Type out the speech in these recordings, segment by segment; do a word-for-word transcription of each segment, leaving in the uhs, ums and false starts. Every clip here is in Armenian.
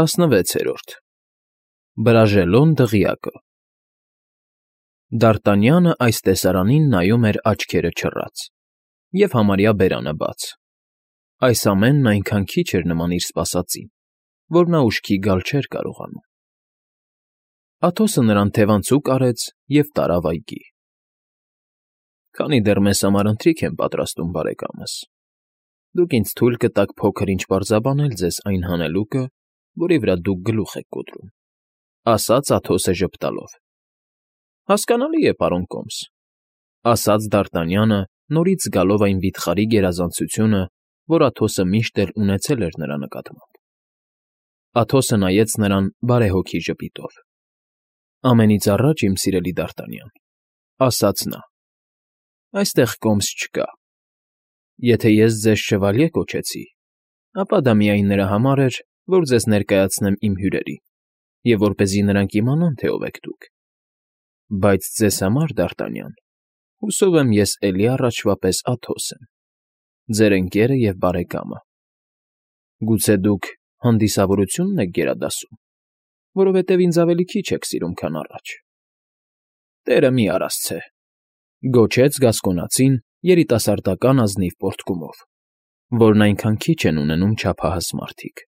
ՏԱՍՆՎԵՑԵՐՈՐԴ ԲՐԱԺԵԼՈՆ ԴՂՅԱԿԸ Դ'ԱՐՏԱՆՅԱՆը այս տեսարանին նայում էր աչքերը չռած և համարյա բերանը բաց. այս ամենն այնքան քիչ էր նման իր սպասածին, որ նա ուշքի գալ չէր կարողանում։ Աթոսը նրան թևանցուկ արեց և տարավ այգի։ ֊ Քանի դեռ մեզ համար ընթրիք եմ պատրաստում, բարեկամս, դուք ինձ թույլ կտաք փոքր֊ինչ պարզաբանել ձեզ այն հանելուկը, որի վրա դուք գլուխ եք կոտրում, ֊ ասաց Աթոսը ժպտալով։ ֊ Հասկանալի է, պարոն Կոմս, ֊ ասաց Դ'ԱՐՏԱՆՅԱՆը, նորից զգալով այն վիթխարի գերազանցությունը, որ Աթոսը միշտ էլ ունեցել էր նրա նկատմամբ։ Աթոսը նայեց նրան բարեհոգի ժպիտով։ ֊ Ամենից առաջ, իմ սիրելի Դ'ԱՐՏԱՆՅԱՆ, ֊ ասաց նա, ֊ այստեղ Կոմս չկա։ Եթե ես ձեզ շևալյե կոչեցի, ապա դա միայն նրա համար էր, որ ձեզ ներկայացնեմ իմ հյուրերին և որպեսզի նրանք իմանան, թե ով եք դուք։ Բայց ձեզ համար, Դ'ԱՐՏԱՆՅԱՆ, հուսով եմ ես էլի առաջվա պես Աթոս եմ, ձեր ընկերը և բարեկամը։ Գուցե դուք հանդիսավորությո՞ւնն եք գերադասում, որովհետև ինձ ավելի քիչ եք սիրում, քան առաջ։ ֊ Տերը մի արասցե, ֊ գոչեց գասկոնացին երիտասարդական ազնիվ պոռթկումով, որն այնքան քիչ են ունենում չափահաս մարդիկ։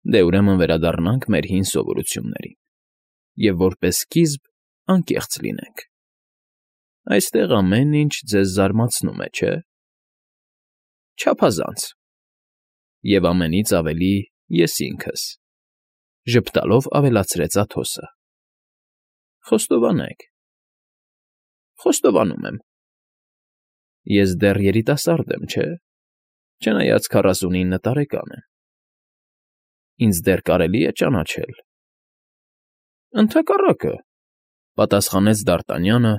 Դե, ուրեմն վերադառնանք մեր հին սովորություններին և, որպես սկիզբ, անկեղծ լինենք։ Այստեղ ամեն ինչ ձեզ զարմացնում է, չէ՞։ ֊ Չափազանց։ Եվ ամենից ավելի ես ինքս, ֊ ժպտալով ավելացրեց Աթոսը։ ֊ Խոստովանեք։ ֊ Խոստովանում եմ։ Ես դեռ երիտասարդ եմ, չէ՞, չնայած քառասունինը տարեկան եմ։ Ինձ դեռ կարելի է ճանաչել։ ֊ Ընդհակառակը, ֊ պատասխանեց Դ'ԱՐՏԱՆՅԱՆը,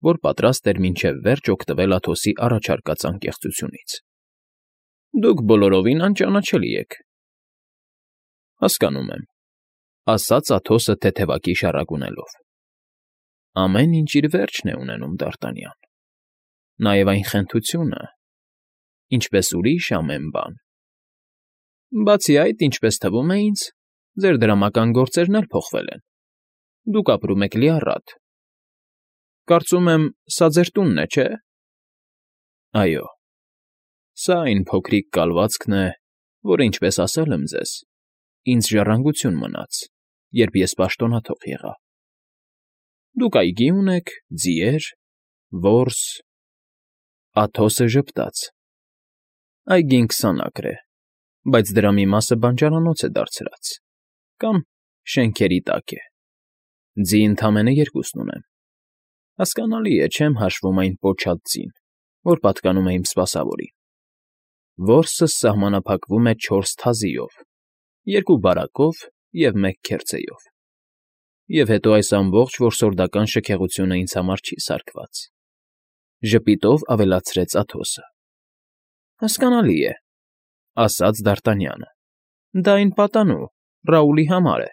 որ պատրաստ էր մինչև վերջ օգտվել Աթոսի առաջարկած անկեղծությունից։ ֊ Դուք բոլորովին անճանաչելի եք։ ֊ Հասկանում եմ, ֊ ասաց Աթոսը թեթևակի շառագունելով։ ֊ Ամեն ինչ իր վերջն է ունենում, Դ'ԱՐՏԱՆՅԱՆ, նաև այն խենթությունը, ինչպես ուրիշ ամեն բան։ Բացի այդ, ինչպես թվում է ինձ, ձեր դրամական գործերն էլ փոխվել են, դուք ապրում եք լիառատ։ Կարծում եմ, սա ձեր տունն է, չէ՞։ ֊ Այո, սա այն փոքրիկ կալվածքն է, որը, ինչպես ասել եմ ձեզ, ինձ ժառանգություն մնաց, երբ ես պաշտոնաթող եղա։ Դուք այգի ունեք, ձիեր, որս… Աթոսը ժպտաց։ Այգին քսան ակր է, բայց դրա մի մասը բանջարանոց է դարձրած, կամ շենքերի տակ է։ Ձի ընդամենը երկուսն ունեմ։ Հասկանալի է, չեմ հաշվում այն պոչած ձին, որ պատկանում է իմ սպասավորին։ Որսս սահմանափակվում է չորս թազիով, երկու բարակով և մեկ քերծեով։ Եվ հետո այս ամբողջ որսորդական շքեղությունը ինձ համար չի սարքված, ֊ ժպիտով ավելացրեց Աթոսը։ ֊ Հասկանալի է, ֊ ասաց Դ'ԱՐՏԱՆՅԱՆը, ֊ դա այն պատանու, Ռաուլի համար է։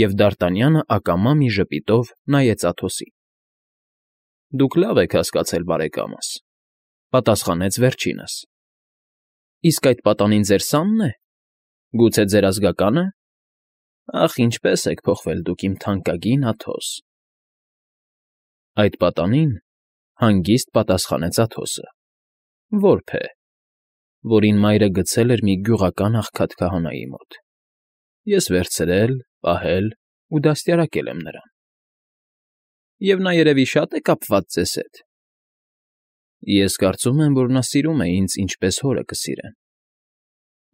Եվ Դ'ԱՐՏԱՆՅԱՆը ակամա մի ժպիտով նայեց Աթոսին։ ֊ Դուք լավ եք հասկացել, բարեկամս, ֊ պատասխանեց վերջինս։ ֊ Իսկ այդ պատանին ձեր սա՞նն է, գուցե ձեր ազգակա՞ն է։ Ախ, ինչպե՜ս եք փոխվել դուք, իմ թանկագին Աթոս։ ֊ Այդ պատանին, ֊ հանգիստ պատասխանեց Աթոսը, ֊ որբ է, որին մայրը գցել էր մի գյուղական աղքատ քահանայի մոտ։ Ես վերցրել, պահել ու դաստիարակել եմ նրան։ ֊ Եվ նա, երևի, շատ է կապված ձեզ հետ։ ֊ Ես կարծում եմ, որ նա սիրում է ինձ, ինչպես հորը կսիրեն։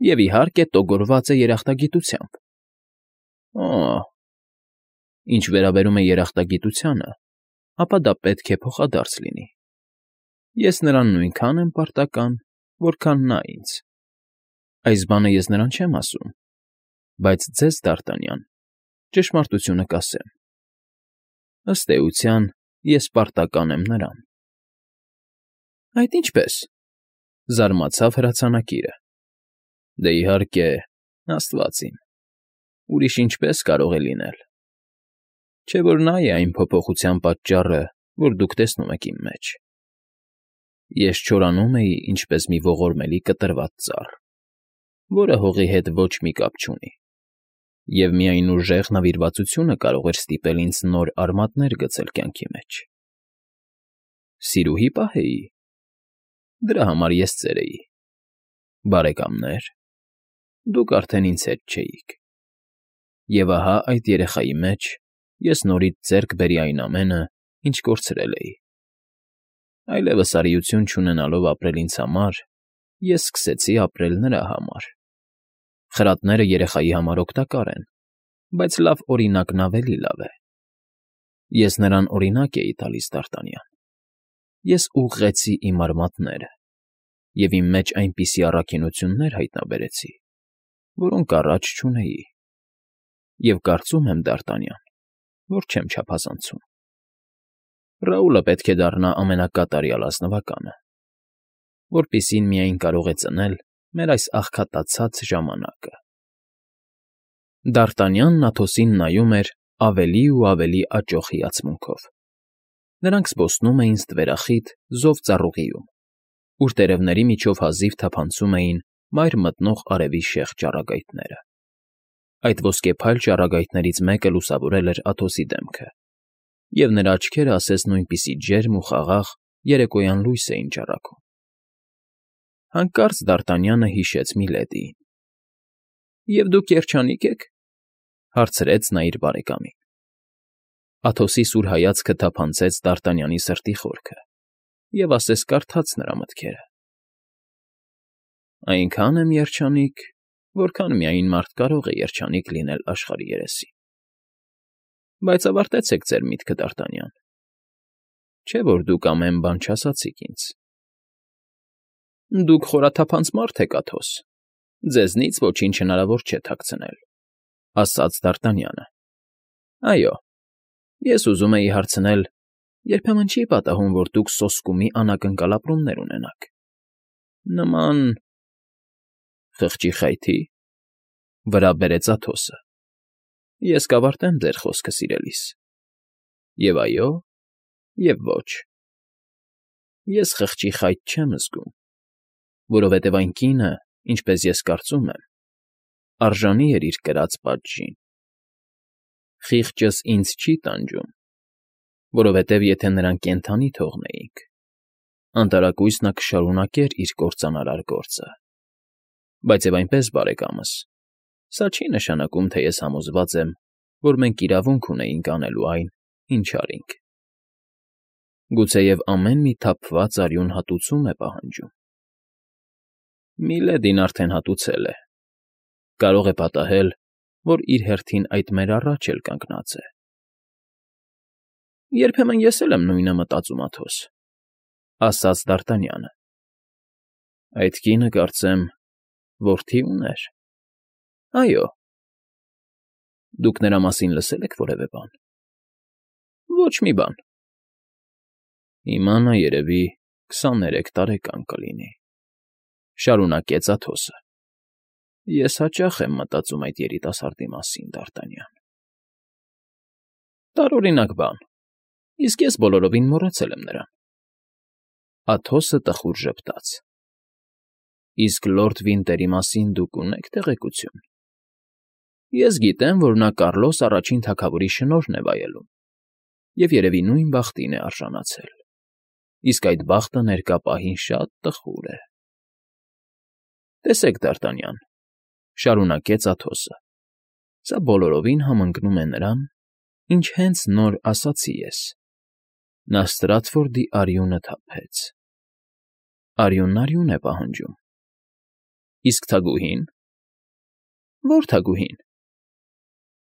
Եվ, իհարկե, տոգորված է երախտագիտությամբ։ ֊ Օ՜, ինչ վերաբերում է երախտագիտությանը, ապա դա պետք է փոխադարձ լինի։ Ես նրան նույնքան եմ պարտական, որքան նա ինձ։ Այս բանը ես նրան չեմ ասում, բայց ձեզ, Դ'ԱՐՏԱՆՅԱՆ, ճշմարտությունը կասեմ. ըստ էության, ես պարտական եմ նրան։ ֊ Այդ ինչպե՞ս, ֊ զարմացավ հրացանակիրը։ ֊ Դե, իհարկե, աստված իմ, ուրիշ ինչպե՞ս կարող է լինել։ Չէ՞ որ նա է այն փոփոխության պատճառը, որ դուք տեսնում եք իմ մեջ։ Ես չորանում էի, ինչպես մի ողորմելի կտրված ծառ, որը հողի հետ ոչ մի կապ չունի։ Եվ միայն ուժեղ նվիրվածությունը կարող էր ստիպել ինձ նոր արմատներ գցել կյանքի մեջ։ Սիրուհի պահեի։ Դրա համար ես ծեր էի։ Բարեկամներ, դուք արդեն ինձ հետ չէիք։ Եվ ահա այդ երեխայի մեջ ես նորից ձեռք բերի այն ամենը, ինչ կորցրել էի։ Այլևս արիություն չունենալով ապրել ինձ համար, ես սկսեցի ապրել նրա համար։ Խրատները երեխայի համար օգտակար են, բայց լավ օրինակն ավելի լավ է։ Ես նրան օրինակ էի տալիս Դ'Արտանյան։ Ես ուղղեցի իմ արմատները, և իմ մեջ այնպիսի առաքինություններ հայտնաբերեցի, որոնք առաջ չունեի։ Եվ կարծում եմ, Դ'Արտանյան, որ չեմ չափազանցում։ Ռաուլը պետք է դառնա ամենակատարյալ ազնվականը, որպիսին միայն կարող է ծնել մեր այս աղքատացած ժամանակը։ Դ'Արտանյանն Աթոսին նայում էր ավելի ու ավելի աճող հիացմունքով։ Նրանք զբոսնում էին ստվերախիտ զով ծառուղիում, ուր տերևների միջով հազիվ թափանցում էին մայր մտնող արևի շեղ ճառագայթները։ Այդ ոսկեփայլ ճառագայթներից մեկը լուսավորել էր Աթոսի դեմքը, և նրա աչքերը ասես նույնպիսի ջերմ ու խաղաղ երեկոյան լույս էին ճառագում։ Հանկարծ Դ'Արտանյանը հիշեց Միլեդիին։ ֊ Եվ դուք երջանիկ եք,֊ հարցրեց նա իր բարեկամին։ Աթոսի սուր հայացքը թափանցեց Դ'Արտանյանի սրտի խորքը և ասես կարդաց նրա մտքերը։ ֊ Այնքան եմ երջանիկ, որքան միայն մարդ կարող է երջանիկ լինել աշխարհի երեսին։ Բայց ավարտեցեք ձեր միտքը, Դ'Արտանյան, չէ՞ որ դուք ամեն բան չասացիք ինձ։ ֊ Դուք խորաթափանց մարդ եք, Աթոս, ձեզնից ոչինչ հնարավոր չէ թաքցնել,֊ ասաց Դ'Արտանյանը։ ֊ Այո, ես ուզում էի հարցնել, երբեմն չի՞ պատահում, որ դուք սոսկումի անակնկալ ապրումներ ունենաք, նման… Խղճի խայթի՞, վրա բերեց Աթոսը։ Ես կավարտեմ ձեր խոսքը, սիրելիս, և այո, և ոչ։ Ես խղճի խայթ չեմ զգում, որովհետև այն կինը, ինչպես ես կարծում եմ, արժանի էր իր կրած պատժին։ Խիղճս ինձ չի տանջում, որովհետև եթե նրան կենդանի թողնեինք, անտարակույս նա կշարունակեր իր կործանարար գործը։ Բայց և այնպես, բարեկամս, սա չի նշանակում, թե ես համոզված եմ, որ մենք իրավունք ունեինք անելու այն, ինչ արինք։ Գուցեև ամեն մի թափված արյուն հատուցում է պահանջում։ Միլեդին արդեն հատուցել է, կարող է պատահել, որ իր հերթին այդ մեր առաջ էլ կանգնած է։ ֊ Երբեմն ես էլ եմ նույնը մտածում, Աթոս,֊ ասաց Դ'Արտանյանը։ ֊ Այդ կինը, կարծեմ, որդի ուներ։ ֊ Այո։ ֊ Դուք նրա մասին լսե՞լ եք որևէ բան։ ֊ Ոչ մի բան։ ֊ Հիմա նա, երևի, քսաներեք տարեկան կլինի,֊ շարունակեց Աթոսը։ Ես հաճախ եմ մտածում այդ երիտասարդի մասին, Դ'Արտանյան։ ֊ Տարօրինակ բան, իսկ ես բոլորովին մոռացել եմ նրան։ Աթոսը տխուր ժպտաց։ ֊ Իսկ լորդ Վինտերի մասին դուք ունե՞ք տեղեկություն։ ֊ Ես գիտեմ, որ նա Կառլոս առաջին թագավորի շնորհն է վայելում և երևի նույն բախտին է արժանացել, իսկ այդ բախտը ներկա պահին շատ տխուր է։ ֊ Տեսեք, Դ'Արտանյան,֊ շարունակեց Աթոսը,֊ սա բոլորովին համընկնում է նրան, ինչ հենց նոր ասացի ես. նա Ստրատֆորդի արյունը թափեց։ Արյունն արյուն է պահանջում։ Իսկ թագուհի՞ն։ ֊ Ո՞ր թագուհին։ ֊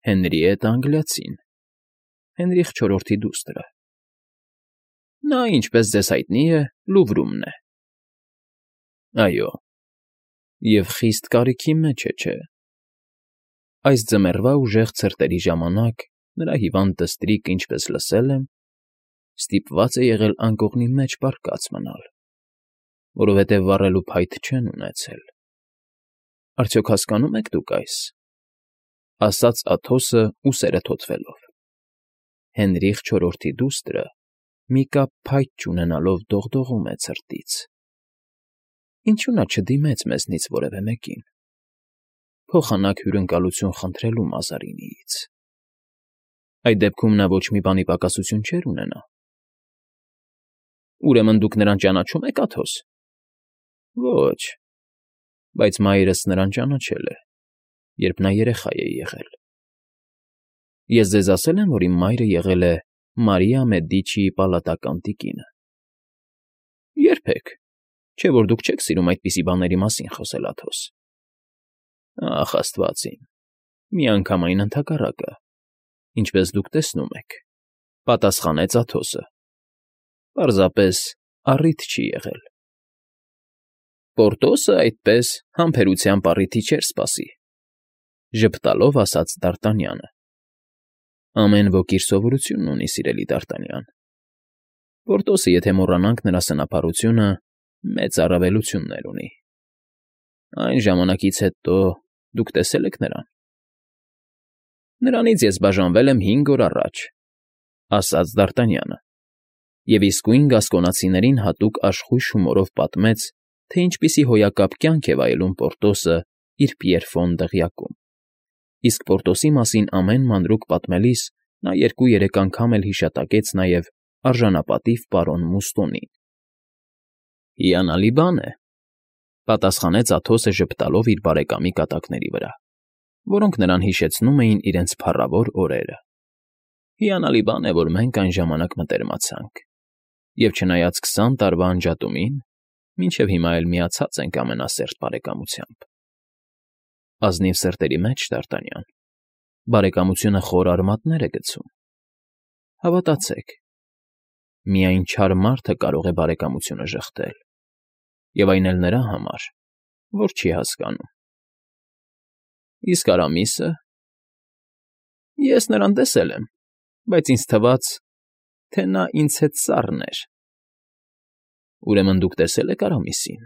Հենրիետը Անգլիացին, Հենրիխ չորրորդի դուստրը։ Նա, ինչպես ձեզ հայտնի է, Լուվրումն է։ ֊ Այո, և խիստ կարիքի մեջ է, չէ՞։ Այս ձմեռվա ուժեղ ցրտերի ժամանակ նրա հիվանդ դստրիկը, ինչպես լսել եմ, ստիպված է եղել անկողնի մեջ պառկած մնալ, որովհետև վառելու փայտ չեն ունեցել։ Արդյոք հասկանո՞ւմ եք դուք այս,֊ ասաց Աթոսը ուսերը թոթվելով։ Հենրիխ չորրորդի դուստրը մի կապ փայտ չունենալով դողդողում է ցրտից։ Ինչու նա չդիմեց մեզնից որևէ մեկին։ փոխանակ հյուրընկալություն խնդրելու Մազարինիից։ Այդ դեպքում նա ոչ մի բանի պակասություն չէր ունենա։ Ուրեմն դուք նրան ճանաչում եք, Աթոս։ Ոչ, բայց մայրս նրան ճանաչել է, երբ նա երեխա է եղել։ Ես ձեզ ասել եմ, որ իմ մայրը եղել է Մարիա Մեդիչիի պալատական տիկինը։ Երբեք, չէ՞ որ դուք չեք սիրում այդպիսի բաների մասին խոսել, Աթոս։ Ախ, աստված իմ, միանգամայն ընդհակառակը, ինչպես դուք տեսնում եք, պատասխանեց Աթոսը։ Պարզապես առիթ չի եղել։ Պորտոսը այդպես համբերությամբ առիթի չէր սպասի, ժպտալով ասաց Դ'Արտանյանը։ Ամեն ոք իր սովորությունն ունի, սիրելի Դ'Արտանյան։ Պորտոսը, եթե մոռանանք նրա սնափառությունը, մեծ առավելություններ ունի։ Այն ժամանակից հետո դուք տեսել եք նրան։ Նրանից ես բաժանվել եմ հինգ օր առաջ, ասաց Դ'Արտանյանը, և իսկույն գասկոնացիներին հատուկ աշխույժ հումորով պատմեց, թե ինչպիսի հոյակապ կյանք է վայելում Պորտոսը իր Պիերֆոն դղյակում։ Իսկ Պորտոսի մասին ամեն մանրուք պատմելիս նա երկու֊երեք անգամ էլ հիշատակեց նաև արժանապատիվ պարոն Մուստոնին։ Հիանալի բան է, պատասխանեց Աթոսը ժպտալով իր բարեկամի կատակների վրա, որոնք նրան հիշեցնում էին իրենց փառավոր օրերը։ Հիանալի բան է, որ մենք այն ժամանակ մտերմացանք, և չնայած քսան տարվա անջատումին, մինչև հիմա էլ միացած ենք ամենասերտ բարեկամությամբ։ Ազնիվ սրտերի մեջ, Դ'Արտանյան, բարեկամությունը խոր արմատներ է գցում։ Հավատացեք, միայն չար մարդը կարող է բարեկամությունը ժխտել, և այն էլ նրա համար, որ չի հասկանում։ Իսկ Արամիսը… Ես նրան տեսել եմ, բայց ինձ թվաց, թե նա ինձ հետ սառն էր։ Ուրեմն դուք տեսել եք Արամիսին,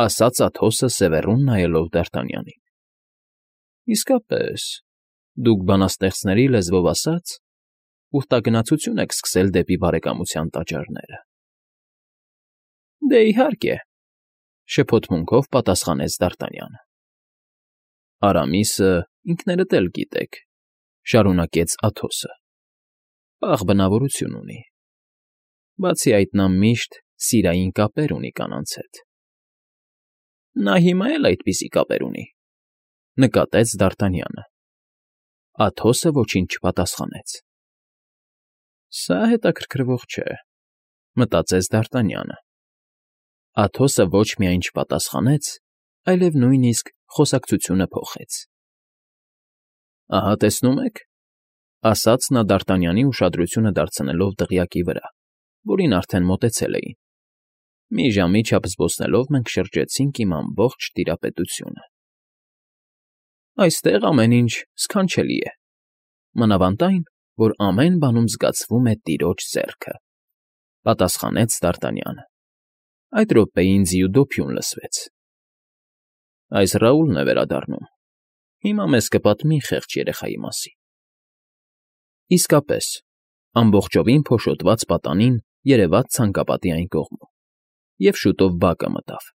ասաց Աթոսը սևեռուն նայելով Դ'Արտանյանին։ Իսկապես, դուք բանաստեղծների լեզվով ասած, ուխտագնացություն եք սկսել դեպի բարեկամության տաճարները։ Դե, իհարկե, շփոթմունքով պատասխանեց Դ'Արտանյանը։ Արամիսը, ինքներդ էլ գիտեք, շարունակեց Աթոսը, պաղ բնավորություն ունի։ Բացի այդ, նա միշտ սիրային կապեր ունի կանանց հետ։ Նա հիմա էլ այդպիսի կապեր ունի, նկատեց Դ'Արտանյանը։ Աթոսը ոչինչ չպատասխանեց։ Սա հետաքրքրվող չէ, մտածեց Դ'Արտանյանը։ Աթոսը ոչ միայն չպատասխանեց, այլև նույնիսկ խոսակցությունը փոխեց։ Ահա տեսնում եք, ասաց նա Դ'Արտանյանի ուշադրությունը դարձնելով դղյակի վրա, որին արդեն մոտեցել էին։ Մի ժամի չափ զբոսնելով մենք շրջեցինք իմ ամբողջ տիրապետությունը։ Այստեղ ամեն ինչ սքանչելի է, մանավանդ այն, որ ամեն բանում զգացվում է տիրոջ ձեռքը, պատասխանեց Դ'Արտանյանը։ Այդ րոպեին ձիու դոփյուն լսվեց։ Այս Ռաուլն է վերադառնում։ Հիմա մեզ կպատմի խեղճ երեխայի մասին։ Իսկապես, ամբողջովին փոշոտված պատանին երևաց ցանկապատի այն կողմում, և շուտով բակը մտավ։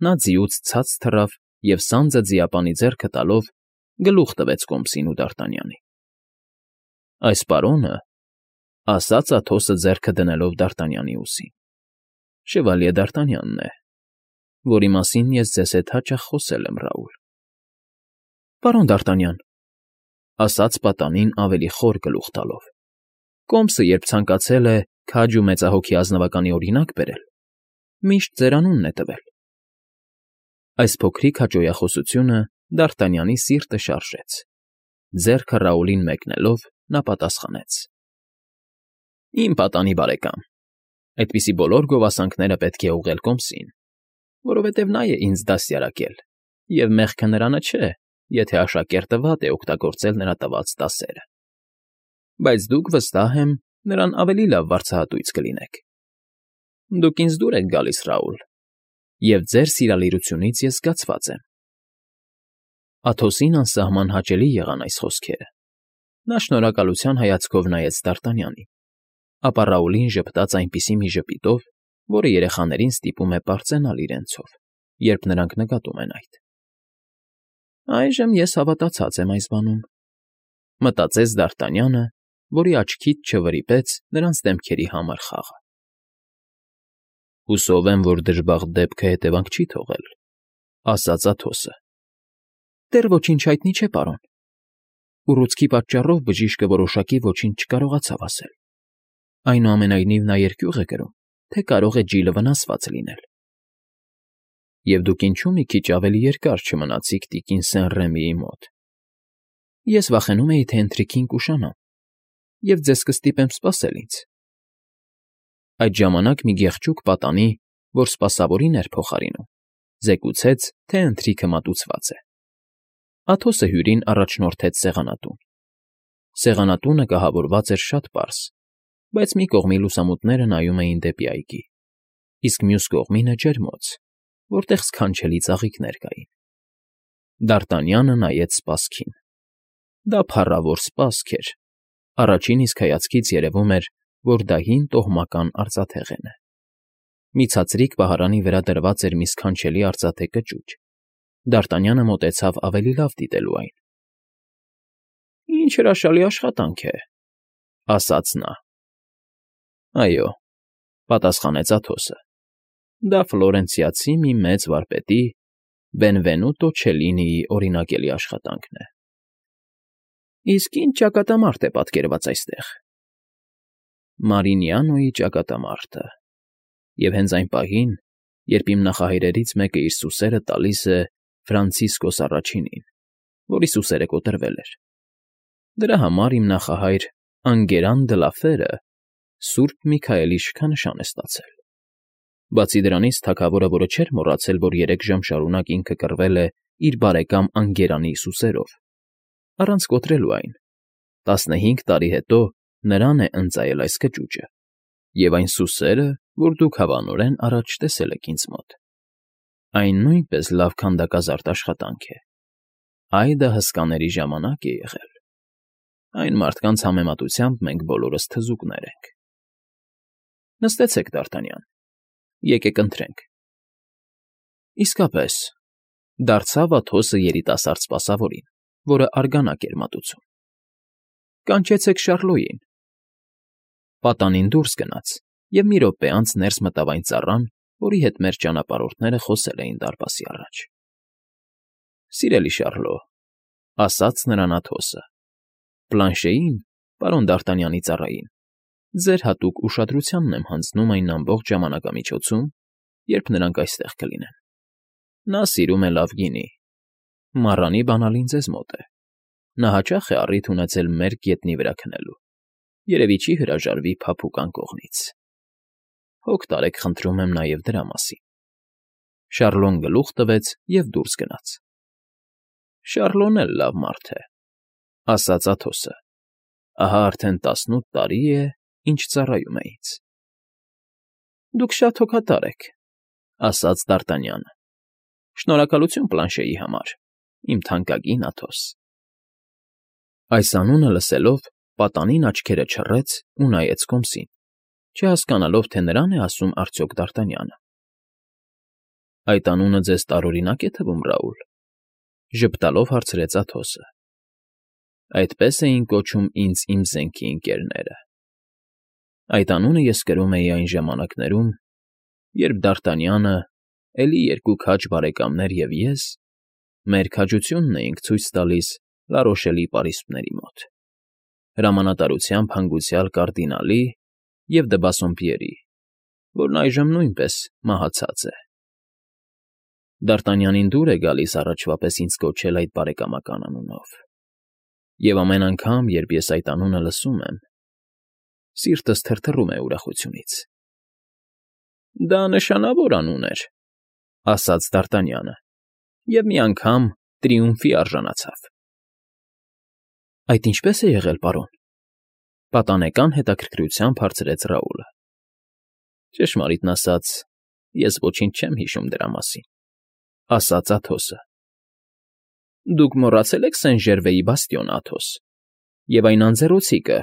Նա ձիուց ցած թռավ և սանձը ձիապանի ձեռքը տալով գլուխ տվեց Կոմսին ու Դ'Արտանյանին։ Այս պարոնը, ասաց Աթոսը ձեռքը դնելով Դ'Արտանյանի ուսին, Շևալյե Դ'Արտանյանն է, որի մասին ես ձեզ հետ հաճախ խոսել եմ, Ռաուլ։ Պարոն Դ'Արտանյան, ասաց պատանին ավելի խոր գլուխ տալով, Կոմսը, երբ ցանկացել է քաջ ու մեծահոգի ազնվականի օրինակ բերել, միշտ ձեր անունն է տվել։ Այս փոքրիկ հաճոյախոսությունը Դ'Արտանյանի սիրտը շարժեց։ Ձեռքը Ռաուլին մեկնելով, նա պատասխանեց. Իմ պատանի բարեկամ, այդպիսի բոլոր գովասանքները պետք է ուղղել Կոմսին, որովհետև նա է ինձ դաստիարակել, և մեղքը նրանը չէ, եթե աշակերտը վատ է օգտագործել նրա տված դասերը։ Բայց դուք, վստահ եմ, նրան ավելի լավ վարձահատույց կլինեք։ Դուք ինձ դուր եք գալիս, Ռաուլ, և ձեր սիրալիրությունից ես զգացված եմ։ Աթոսին անսահման հաճելի եղան այս խոսքերը։ Նա շնորհակալության հայացքով նայեց Դ'Արտանյանին, ապա Ռաուլին ժպտաց այնպիսի մի ժպիտով, որը երեխաներին ստիպում է պարծենալ իրենցով, երբ նրանք նկատում են այդ։ Այժմ ես հավատացած եմ այս բանում, մտածեց Դ'Արտանյանը, որի աչքից չվրիպեց նրանց դեմքերի համր խաղը։ Հուսով եմ, որ դժբախտ դեպքը հետևանք չի թողել, ասաց Աթոսը։ Դեռ ոչինչ հայտնի չէ, պարոն։ Ուռուցքի պատճառով բժիշկը որոշակի ոչինչ չկարողացավ ասել։ Այնուամենայնիվ նա երկյուղ է կրում, թե կարող է ջիլը վնասված լինել։ Եվ դուք ինչու մի քիչ ավելի երկար չմնացիք տիկին Սեն֊Ռեմիի մոտ։ Ես վախենում էի, թե ընթրիքին կուշանամ, և ձեզ կստիպեմ սպասել ինձ։ Այդ ժամանակ մի գեղեցիկ պատանի, որ սպասավորին էր փոխարինում, զեկուցեց, թե ընթրիքը մատուցված է։ Աթոսը հյուրին առաջնորդեց սեղանատուն։ Սեղանատունը կահավորված էր շատ պարզ, բայց մի կողմի լուսամուտները նայում էին դեպի այգի, իսկ մյուս կողմինը ջերմոց, որտեղ սքանչելի ծաղիկներ կային։ Դ'Արտանյանը նայեց սպասքին։ Դա փառավոր սպասք էր։ Առաջին իսկ հայացքից երևում էր, որ դա հին տոհմական արծաթեղեն է։ Մի ցածրիկ պահարանի վրա դրված էր մի սքանչելի արծաթե կճուճ։ Դ'Արտանյանը մոտեցավ ավելի լավ դիտելու այն։ Ինչ հրաշալի աշխատանք է, ասաց նա։ Այո, պատասխանեց Աթոսը։ Դա ֆլորենցիացի մի մեծ վարպետի՝ Բենվենուտո Չելլինիի օրինակելի աշխատանքն է։ Իսկ ինչ ճակատամարտ է պատկերված այստեղ։ Մարինյանոյի ճակատամարտը։ Եվ հենց այն պահին, երբ իմ նախահայրերից մեկը իր սուսերը տալիս է Ֆրանցիսկոս առաջինին, որի սուսերը կոտրվել էր։ Դրա համար իմ նախահայր Անգերան դը լա Ֆերը Սուրբ Միքայելի շքանշան է ստացել։ Բացի դրանից, թագավորը, որը չէր մոռացել, որ երեք ժամ շարունակ ինքը կռվել է իր բարեկամ Անգերանի սուսերով, առանց կոտրելու այն, տասնհինգ տարի հետո նրան է ընծայել այս կճուճը, և այն սուսերը, որ դուք հավանորեն առաջ տեսել եք ինձ մոտ։ Այն նույնպես լավ քանդակազարդ աշխատանք է։ Այ դա հսկաների ժամանակ է եղել։ Այն մարդկանց համեմատությամբ մենք բոլորս թզուկներ ենք։ Նստեցեք, Դ'Արտանյան, եկեք ընթրենք։ Իսկապես, դարձավ Աթոսը երիտասարդ սպասավորին, որը արգանակ էր մատուցում։ Կանչեցեք Շարլոյին։ Պատանին դուրս գնաց, և մի րոպե անց ներս մտավ այն ծառան, որի հետ մեր ճանապարհորդները խոսել էին դարպասի առաջ։ Սիրելի Շարլո, ասաց նրան Աթոսը, Պլանշեին, պարոն Դ'Արտանյանի ծառային, ձեր հատուկ ուշադրությանն եմ հանձնում այն ամբողջ ժամանակամիջոցում, երբ նրանք այստեղ կլինեն։ Նա սիրում է լավ գինի։ Մառանի բանալին ձեզ մոտ է։ Նա հաճախ է առիթ ունեցել մեր գետնի վրա քնելու։ Երևի չի հրաժարվի փափուկ անկողնից։ Հոգ տարեք, խնդրում եմ նաև դրա մասին։ Շարլոն գլուխ տվեց և դուրս գնաց։ Շարլոն էլ լավ մարդ է, ասաց Աթոսը։ Ահա արդեն տասնութ տարի է, ինչ ծառայում է ինձ։ Դուք շատ հոգատար եք, ասաց Դ'Արտանյանը։ Շնորհակալություն Պլանշեի համար, իմ թանկագին Աթոս։ Այս անունը լսելով, պատանին աչքերը չռեց ու նայեց կոմսին, չհասկանալով, թե նրան է ասում արդյոք Դ'Արտանյանը։ Այդ անունը ձեզ տարօրինակ է թվում, Ռաուլ, ժպտալով հարցրեց Աթոսը։ Այդպես էին կոչում ինձ իմ զենքի ընկերները։ Այդ անունը ես կրում էի այն ժամանակներում, երբ Դ'Արտանյանը, էլի երկու քաջ բարեկամներ և ես մեր քաջությունն էինք ցույց տալիս Լարոշելի պարիսպների մոտ, հրամանատարությամբ հանգուցյալ կարդինալի և դե Բասսոմպիերի, որն այժմ նույնպես մահացած է։ Դ'Արտանյանին դուր է գալիս առաջվա պես ինձ կոչել այդ բարեկամական անունով, և ամեն անգամ, երբ ես այդ անունը լսում եմ, սիրտս թրթռում է ուրախությունից։ Դա նշանավոր անուն էր, ասաց Դ'Արտանյանը, և մի անգամ տրիումֆի արժանացավ։ Այդ ինչպե՞ս է եղել, պարոն, պատանեկան հետաքրքրությամբ հարցրեց Ռաուլը։ Ճշմարիտն ասած, ես ոչինչ չեմ հիշում դրա մասին, ասաց Աթոսը։ Դուք մոռացել եք Սեն֊Ժերվեի բաստիոնը, Աթոս, և այն անձեռոցիկը,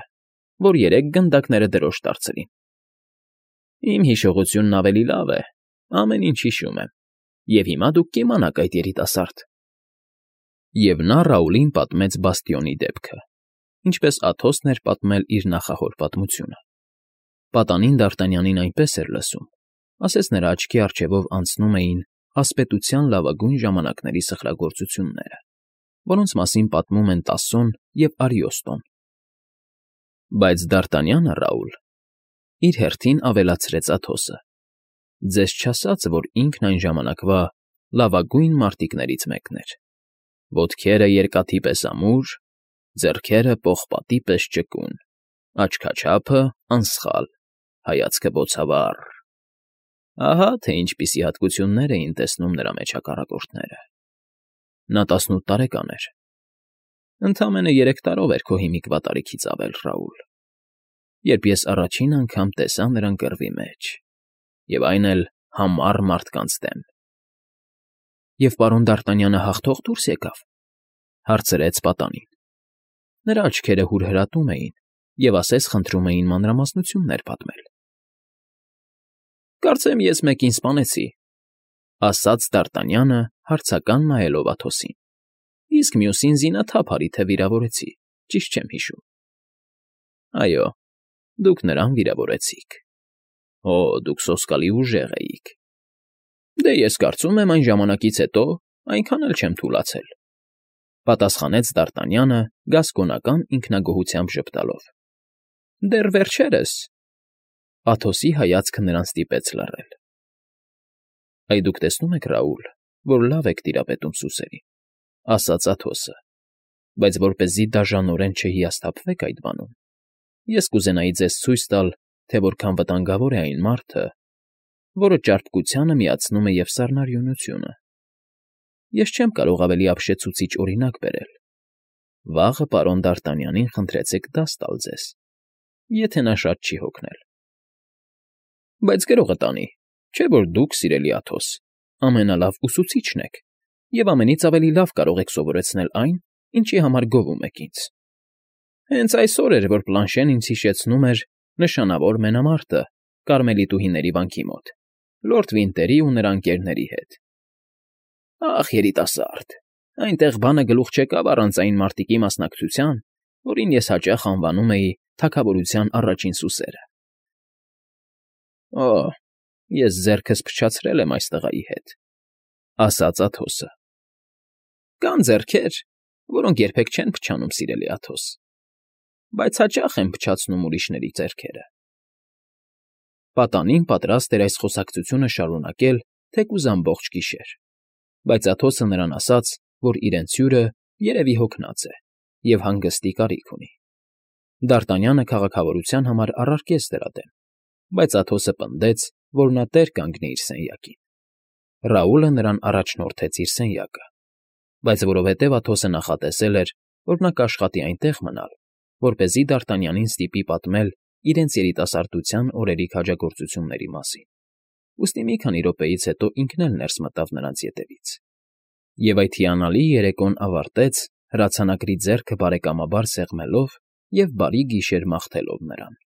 որ երեք գնդակները դրոշ դարձրին։ Իմ հիշողությունն ավելի լավ է, ամեն ինչ հիշում եմ, և հիմա դուք կիմանաք այդ երիտասարդ։ Եվ նա Ռաուլին պատմեց բաստիոնի դեպքը, ինչպես Աթոսն էր պատմել իր նախահոր պատմությունը։ Պատանին Դ'Արտանյանին այնպես էր լսում, ասես նրա աչքի առջևով անցնում էին ասպետության լավագույն ժամանակների սխրագործությունները, որոնց մասին պատմում են Տասոն և Արիոստոն։ Բայց Դ'Արտանյանը, Ռաուլ, իր հերթին ավելացրեց Աթոսը. ձեզ չասաց, որ ինքն այն ժամանակվա լավագույն մարտիկներից մեկն էր. ոտքերը երկաթի պես ամուր, ձեռքերը պողպատի պես ճկուն, աչքաչափը անսխալ, հայացքը բոցավառ։ Ահա թե ինչպիսի հատկություններ էին տեսնում նրա մեջ հակառակորդները։ Նա տասնութ տարեկան էր։ Ընդամենը երեք տարով էր քո հիմիկվա տարիքից ավել, Ռաուլ, երբ ես առաջին անգամ տեսա նրան կռվի մեջ, և այն էլ համառ մարդկանց դեմ։ ֊ Եվ պարոն Դ'Արտանյանը հաղթող դուրս եկավ,֊ հարցրեց պատանին։ Նրա աչքերը հուրհրատում էին և ասես խնդրում էին մանրամասնություններ պատմել։ ֊ Կարծեմ ես մեկին սպանեցի,֊ ասաց Դ'Արտանյանը, հարցական նայելով Աթոսին,֊ իսկ մյուսին զինաթափ արի թե վիրավորեցի, ճիշտ չեմ հիշում։ ֊ Այո, դուք նրան վիրավորեցիք։ Օ, դուք սոսկալի ուժեղ էիք։ Դե ես կարծում եմ այն ժամանակից հետո այնքան էլ չեմ թուլացել,֊ պատասխանեց Դ'Արտանյանը գասկոնական ինքնագոհությամբ ժպտալով։ ֊ Դեռ վերջերս… Աթոսի հայացքը նրան ստիպեց լռել։ ֊ Այ դուք տեսնում եք, Ռաուլ, որ լավ եք տիրապետում սուսերին,֊ ասաց Աթոսը,֊ բայց որպեսզի դաժանորեն չհիասթափվեք այդ բանում, ես կուզենայի ձեզ ցույց տալ, թե որքան վտանգավոր է այն մարդը, որը ճարպկությանը միացնում է և սառնարյունությունը։ Ես չեմ կարող ավելի ապշեցուցիչ օրինակ բերել։ Վաղը պարոն Դ'Արտանյանին խնդրեցեք դաս տալ ձեզ, եթե նա շատ չի հոգնել։ ֊ Բայց գրողը տանի, չէ՞ որ դուք, սիրելի Աթոս, ամենալավ ուսուցիչն եք և ամենից ավելի լավ կարող եք սովորեցնել այն, ինչի համար գովում եք ինձ։ Հենց այսօր էր, որ Պլանշեն ինձ հիշեցնում էր նշանավոր մենամարտը Կարմելիտուհիների վանքի մոտ, լորդ Վինտերի ու նրա ընկերների հետ։ Ախ, երիտասարդ, այնտեղ բանը գլուխ չեկավ առանց այն մարտիկի մասնակցության, որին ես հաճախ անվանում էի թագավորության առաջին սուսերը։ Օ, ես ձեռքս փչացրել եմ այս տղայի հետ,֊ ասաց Աթոսը։ ֊ Կան ձեռքեր, որոնք երբեք չեն փչանում, սիրելի Աթոս, բայց հաճախ են փչացնում ուրիշների ձեռքերը։ Պատանին պատրաստ էր այս խոսակցությունը շարունակել թեկուզ ամբողջ գիշեր, բայց Աթոսը նրան ասաց, որ իրենց հյուրը երևի հոգնած է և հանգստի կարիք ունի։ Դ'Արտանյանը քաղաքավարության համար առարկեց դրա դեմ, բայց Աթոսը պնդեց, որ նա տեր կանգնի իր սենյակին։ Ռաուլը նրան առաջնորդեց իր սենյակը, բայց որովհետև Աթոսը նախատեսել էր, որ նա կաշխատի այնտեղ մնալ, որպեսզի Դ'Արտանյանին ստիպի պատմել իրենց երիտասարդության օրերի քաջագործությունների մասին, ուստի մի քանի րոպեից հետո ինքն էլ ներս մտավ նրանց ետևից։ Եվ այդ հիանալի երեկոն ավարտեց հրացանակրի ձեռքը բարեկամաբար սեղմելով և բարի գիշեր մաղթելով նրան։